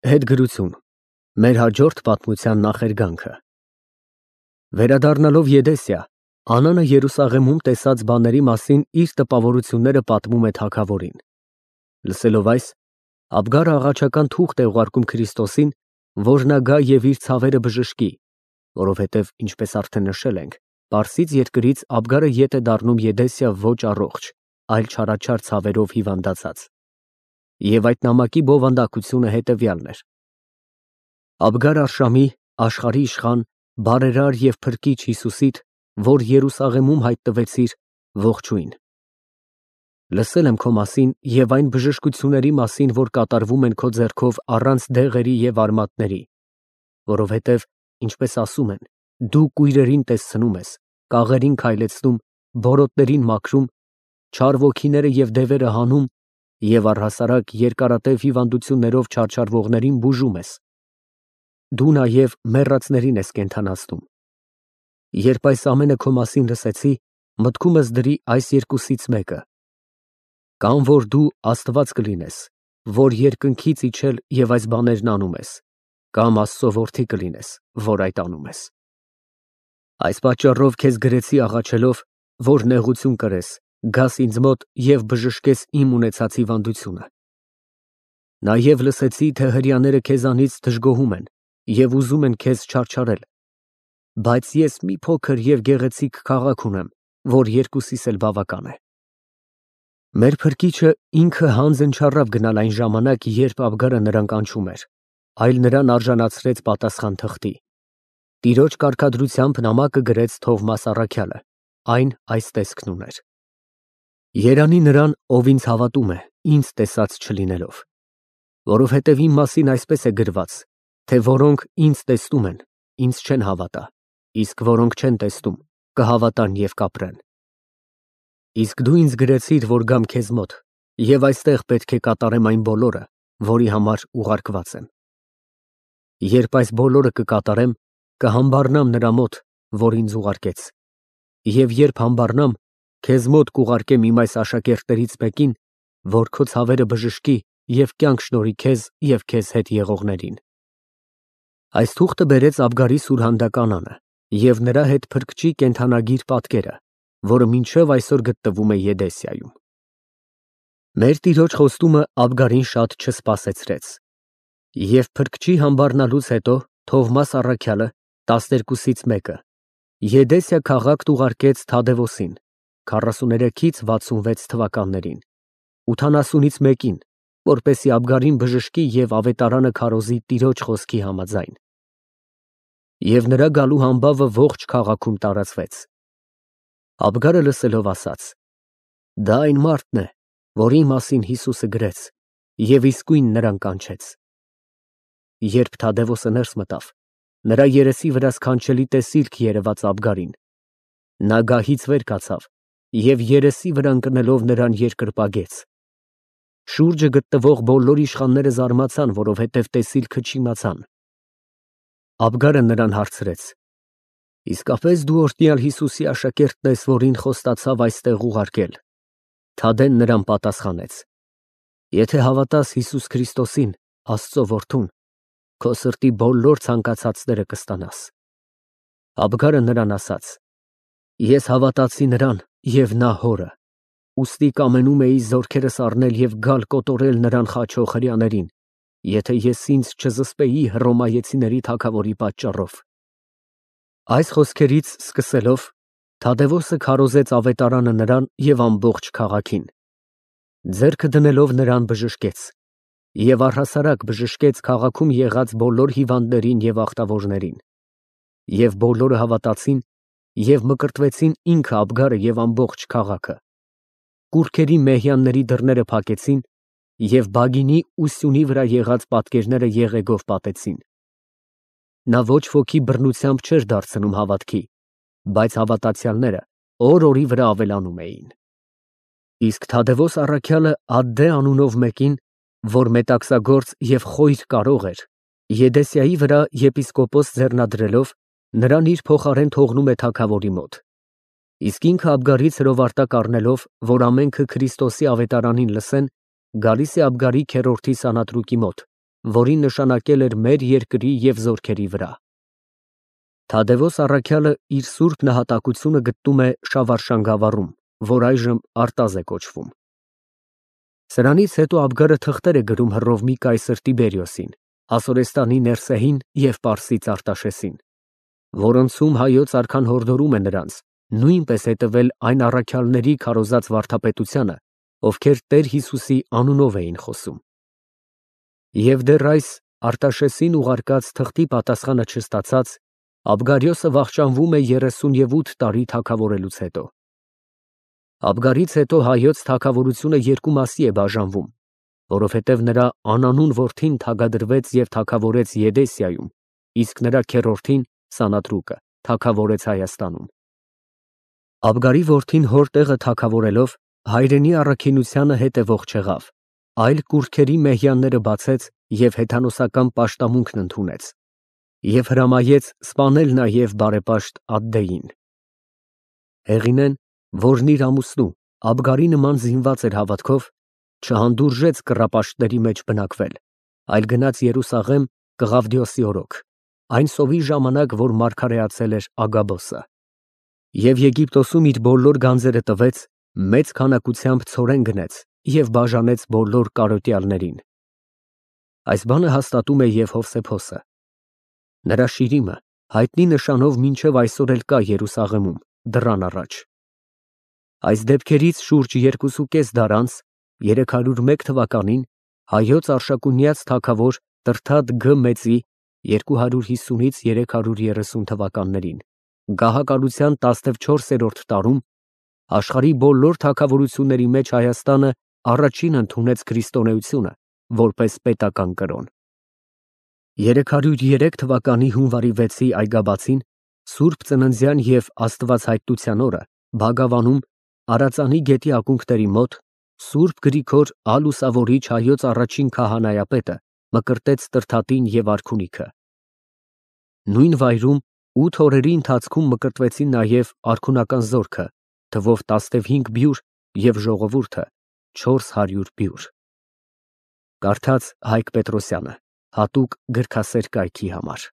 Հետգրություն։ Մեր հաջորդ պատմության նախերգանքը։ Վերադառնալով Եդեսիա, Անանը Երուսաղեմում տեսած բաների մասին իր տպավորությունները պատմում է թագավորին։ Լսելով այս, Աբգարը աղաչական թուղթ է ուղարկում Քրիստոսին, որ նա գա և իր ցավերը բժշկի, որովհետև, ինչպես արդեն նշել ենք, Պարսից երկրից Աբգարը ետ է դառնում Եդեսիա ոչ առողջ, այլ չարաչար ցավերով հիվանդացած։ Եվ այդ նամակի բովանդակությունը հետևյալն էր. Աբգար Արշամի, աշխարհի իշխան, բարերար և փրկիչ Հիսուսիդ, որ Երուսաղեմում հայտնվեցիր, ողջույն։ Լսել եմ քո մասին և այն բժշկությունների մասին, որ կատարվում են քո ձեռքով առանց դեղերի և արմատների, որովհետև, ինչպես ասում են, դու կույրերին տեսցնում ես, կաղերին քայլեցնում, բորոտներին մաքրում, չար ոգիները և դևերը հանում և առհասարակ երկարատև հիվանդություններով չարչարվողներին բուժում ես։ Դու նաև մեռածներին ես կենդանացնում։ Երբ այս ամենը քո մասին լսեցի, մտքումս դրի այս երկուսից մեկը. կամ որ դու Աստված կլինես, որ երկնքից իջել և այս բաներն անում ես, կամ Աստծո որդի կլինես, որ այդ անում ես։ Այս պատճառով քեզ գրեցի աղաչելով, որ նեղություն կրես, գաս ինձ մոտ և բժշկես իմ ունեցած հիվանդությունը։ Նաև լսեցի, թե հրեաները քեզանից դժգոհում են և ուզում են քեզ չարչարել, բայց ես մի փոքր և գեղեցիկ քաղաք ունեմ, որ երկուսիս էլ բավական է։ Մեր Փրկիչը ինքը հանձն չառավ գնալ այն ժամանակ, երբ Աբգարը նրան կանչում էր, այլ նրան արժանացրեց պատասխան թղթի։ Տիրոջ կարգադրությամբ նամակը գրեց Թովմաս առաքյալը, այն այս տեսքն ուներ. Երանի նրան, ով ինձ հավատում է, ինձ տեսած չլինելով, որովհետև իմ մասին այսպես է գրված, թե որոնք ինձ տեսնում են, ինձ չեն հավատա, իսկ որոնք չեն տեսնում, կհավատան և կապրեն։ Իսկ դու ինձ գրեցիր, որ գամ քեզ մոտ, և այստեղ պետք է կատարեմ այն բոլորը, որի համար ուղարկված եմ։ Երբ այս բոլորը կկատարեմ, կհամբառնամ նրա մոտ, որ ինձ ուղարկեց, և երբ համբառնամ, քեզ մոտ կուղարկեմ իմ այս աշակերտներից մեկին, որ քո ցավերը բժշկի և կյանք շնորհի քեզ և քեզ հետ եղողներին։ Այս թուղթը բերեց Աբգարի սուրհանդակ Անանը և նրա հետ փրկչի կենդանագիր պատկերը, որը մինչև այսօր գտնվում է Եդեսիայում։ Մեր Տիրոջ խոստումը Աբգարին շատ չսպասեցրեց։ Եվ փրկչի համբառնալուց հետո Թովմաս առաքյալը, 12-ից մեկը, Եդեսիա քաղաք ուղարկեց Թադևոսին, 43-ից 66 թվականներին, 80-ից մեկին, որպեսզի Աբգարին բժշկի և ավետարանը քարոզի Տիրոջ խոսքի համաձայն։ Եվ նրա գալու համբավը ողջ քաղաքում տարածվեց։ Աբգարը լսելով ասաց. «Դա այն մարդն է, որի մասին Հիսուսը գրեց, և իսկույն նրան կանչեց»։ Երբ Թադևոսը ներս մտավ, նրա երեսի վրա սքանչելի տեսիլք երևաց Աբգարին։ Նա գահից վեր կացավ և երեսի վրա ընկնելով նրան երկրպագեց։ Շուրջը գտնվող բոլոր իշխանները զարմացան, որովհետև տեսիլքը չիմացան։ Աբգարը նրան հարցրեց. «Իսկապես դու օրհնյալ Հիսուսի աշակերտն ես, որին խոստացավ այստեղ ուղարկել»։ Թադեն նրան պատասխանեց. «Եթե հավատաս Հիսուս Քրիստոսին, Աստծո որդուն, քո սրտի բոլոր ցանկացածները կստանաս»։ Աբգարը նրան ասաց. «Ես հավատացի նրան և նա հորը, ուստի կամենում էի զորքերս առնել և գալ կոտորել նրան խաչող հրեաներին, եթե ես ինձ չզսպեի Հռոմայեցիների թագավորի պատճառով»։ Այս խոսքերից սկսելով, Թադևոսը քարոզեց ավետարանը նրան և ամբողջ քաղաքին։ Ձեռքը դնելով նրան բժշկեց, և առհասարակ բժշկեց քաղաքում եղած բոլոր հիվանդներին և ախտավորներին։ Եվ բոլորը հավատացին և մկրտվեցին ինքը Աբգարը և ամբողջ քաղաքը։ Կուռքերի մեհյանների դռները փակեցին և բագինի ու սյունի վրա եղած պատկերները եղեգով պատեցին։ Նա ոչ ոքի բռնությամբ չէր դարձնում հավատքի, բայց հավատացյալները օր֊օրի վրա ավելանում էին։ Իսկ Թադևոս առաքյալը Ադդե անունով մեկին, որ մետաքսագործ և խոյր կարող էր, Եդեսիայի վրա եպիսկոպոս ձեռնադրելով, նրան իր փոխարեն թողնում է թագավորի մոտ։ Իսկ ինքը Աբգարից հրովարտակ առնելով, որ ամենքը Քրիստոսի ավետարանին լսեն, գալիս է Աբգարի քերորդի Սանատրուկի մոտ որին նշանակել էր մեր երկրի և զորքերի վրա։ Թադևոս առաքյալը իր սուրբ նահատակությունը գտնում է Շավարշան գավառում, որ այժմ Արտազ է կոչվում։ Սրանից հետո Աբգարը թղթեր է գրում Հռովմի կայսր Տիբերիոսին, Հասորեստանի Ներսեին և Պարսից Արտաշեսին, որոնցում հայոց արքան հորդորում է նրանց նույնպես հետևել այն առաքյալների քարոզած վարդապետությանը, ովքեր Տեր Հիսուսի անունով էին խոսում։ Եվ դեռ այս Արտաշեսին ուղարկած թղթի պատասխանը չստացած, Աբգարիոսը վախճանվում է 38 տարի թագավորելուց հետո։ Աբգարից հետո հայոց թագավորությունը երկու մասի է բաժանվում, որովհետև նրա անանուն որդին թագադրվեց և թագավորեց Եդեսիայում, իսկ նրա քեռորդին Սանատրուկը թագավորեց Հայաստանում։ Աբգարի որդին հոր տեղը թագավորելով հայրենի առաքինությանը հետևող չեղավ, այլ կուռքերի մեհյանները բացեց և հեթանոսական պաշտամունքն ընդունեց և հրամայեց սպանել նաև բարեպաշտ Ադդեին։ Հեղինեն, որն իր ամուսնու Աբգարի նման զինված էր հավատքով, չհանդուրժեց կռապաշտների մեջ բնակվել, այլ գնաց Երուսաղեմ Կղավդիոսի օրոք, այն սովի ժամանակ, որ մարգարեացել էր Ագաբոսը, և Եգիպտոսում իր բոլոր գանձերը տվեց, մեծ քանակությամբ ցորեն գնեց և բաժանեց բոլոր կարոտյալներին։ Այս բանը հաստատում է և Հովսեփոսը։ Նրա շիրիմը հայտնի նշանով մինչև այսօր էլ կա Երուսաղեմում, դռան առաջ։ Այս դեպքերից շուրջ 2.5 դար անց, 301 թվականին, հայոց Արշակունյաց թագավոր Տրդատ Գ-մեծի 250-330 թվականներին, գահակալության 14-րդ տարում, աշխարհի բոլոր թագավորությունների մեջ Հայաստանը առաջին ընդունեց քրիստոնեությունը որպես պետական կրոն։ 303 թվականի հունվարի 6-ի այգաբացին, Սուրբ Ծննդյան և Աստվածհայտնության օրը, Բագավանում, Արածանի գետի ակունքների մոտ, Սուրբ Գրիգոր Ալուսավորիչ հայոց առաջին քահանայապետը մկրտեց Տրդատին և արքունիքը։ Նույն վայրում 8 օրերի ընթացքում մկրտվեցին նաև արքունական զորքը, թվով 15 բյուր և ժողովուրդը 400 բյուր։ Կարդաց Հայկ Պետրոսյանը, հատուկ գրքասեր կայքի համար։